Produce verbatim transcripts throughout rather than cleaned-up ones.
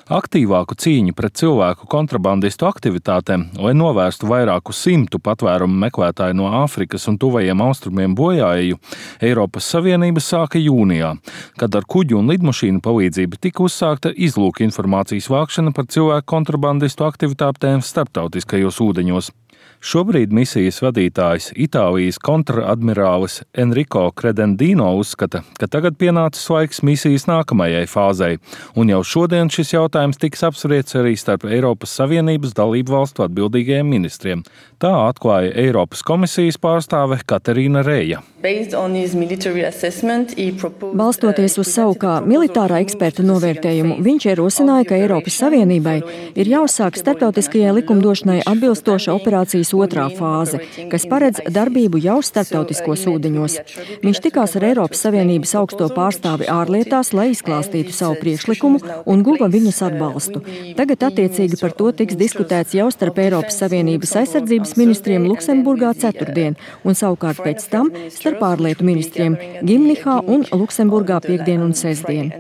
Aktīvāku cīņu pret cilvēku kontrabandistu aktivitātēm, lai novērstu vairāku simtu patvērumu meklētāju no Āfrikas un tuvajiem austrumiem bojāeju, Eiropas Savienība sāka jūnijā, kad ar kuģu un lidmašīnu palīdzību tika uzsākta izlūka informācijas vākšana par cilvēku kontrabandistu aktivitātēm starptautiskajos ūdeņos. Šobrīd misijas vadītājs Itālijas kontradmirālis Enrico Credendino uzskata, ka tagad pienācis laiks misijas nākamajai fāzei, un jau šodien šis jautājums tiks apspriests arī starp Eiropas Savienības dalību valstu atbildīgajiem ministriem. Tā atklāja Eiropas komisijas pārstāve Katerīna Reja. Balstoties uz savu kā militārā eksperta novērtējumu, viņš ierosināja, ka Eiropas Savienībai ir jāuzsāk starptautiskajai likumdošanai atbilstoša operācijas otrā fāze, kas paredz darbību jau starptautiskos ūdeņos. Viņš tikās ar Eiropas Savienības augsto pārstāvi ārlietās, lai izklāstītu savu priekšlikumu un guva viņas atbalstu. Tagad attiecīgi par to tiks diskutēts jau starp Eiropas Savienības aizsardzības ministriem Luksemburgā ceturtdien, un savukārt pēc tam starp ārlietu ministriem Gimnihā un Luksemburgā piekdien un sestdien.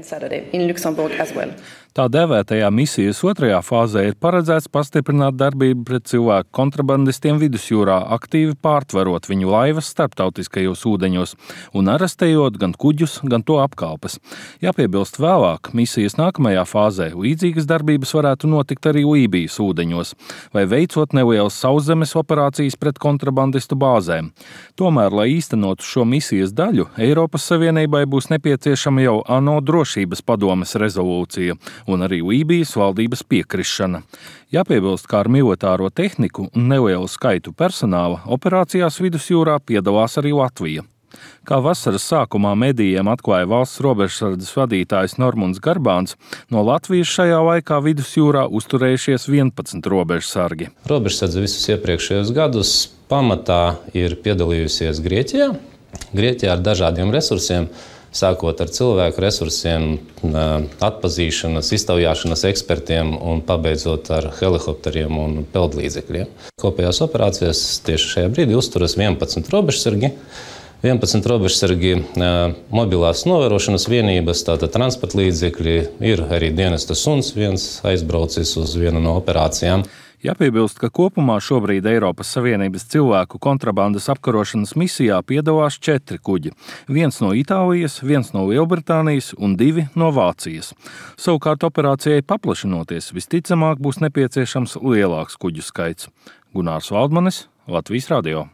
Tā dēvētajā misijas otrajā fāzē ir paredzēts pastiprināt darbību pret cilvēku kontrabandistiem vidusjūrā, aktīvi pārtverot viņu laivas starptautiskajos ūdeņos un arestējot gan kuģus, gan to apkalpes. Jāpiebilst vēlāk, misijas nākamajā fāzē līdzīgas darbības varētu notikt arī Lībijas ūdeņos, vai veicot nelielas sauszemes operācijas pret kontrabandistu bāzēm. Tomēr, lai īstenotu šo misijas daļu, Eiropas Savienībai būs nepieciešama jau ANO drošības padomes rezolūcija un arī Lībijas valdības piekrišana. Jāpiebilst, kā ar militāro tehniku un nelielu skaitu personāla operācijās vidusjūrā piedalās arī Latvija. Kā vasaras sākumā medijiem atklāja valsts robežsardzes vadītājs Normunds Garbāns, no Latvijas šajā laikā vidusjūrā uzturējušies vienpadsmit robežsargi. Robežsardze visus iepriekšējos gadus pamatā ir piedalījusies Grieķijā. Grieķijā ar dažādiem resursiem, sākot ar cilvēku resursiem, atpazīšanas, iztaujāšanas ekspertiem un pabeidzot ar helikopteriem un peldlīdzekļiem. Kopējās operācijās tieši šajā brīdī uzturas vienpadsmit robežsargi. vienpadsmit robežsargi mobilās novērošanas vienības, tātad transporta līdzekļi, ir arī dienesta suns, viens aizbraucis uz vienu no operācijām. Jāpiebilst, ka kopumā šobrīd Eiropas Savienības cilvēku kontrabandas apkarošanas misijā piedalās četri kuģi. Viens no Itālijas, viens no Lielbritānijas un divi no Vācijas. Savukārt operācijai paplašinoties, visticamāk būs nepieciešams lielāks kuģu skaits. Gunārs Valdmanis, Latvijas radio.